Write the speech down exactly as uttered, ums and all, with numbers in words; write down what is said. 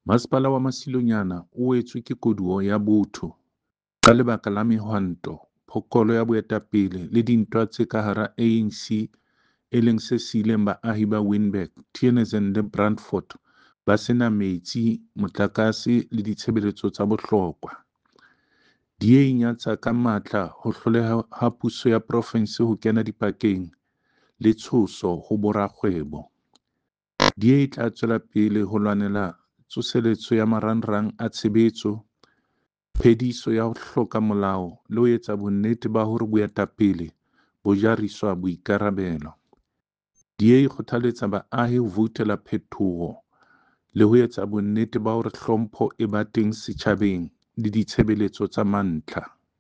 Masepala wa Masilonyane o wetswe ke koduwa ya botho ka lebaka la mehwanto, phokolo ya boetapele le dintwa tse ka hara A N C e leng se siileng baahi ba Winburg, Theunissen le Brandfort ba se na metsi, motlakase le ditshebeletso tsa bohlokwa. D A e nyatsa ka matla ho hloleha ha puso ya profense ho kena dipakeng le tshoso ho borakgwebo. D A e tla tswela pele ho lwanela tsoseletso ya marangrang a tshebetso, phediso ya ho hloka molao le ho etsa bonnete ba hore boetapele bo jariswa boikarabelo. D A e kgothaletsa baahi ho voutela phetoho le ho etsa bonnete ba hore hlompho e ba teng setjhabeng le ditshebeletso tsa mantlha.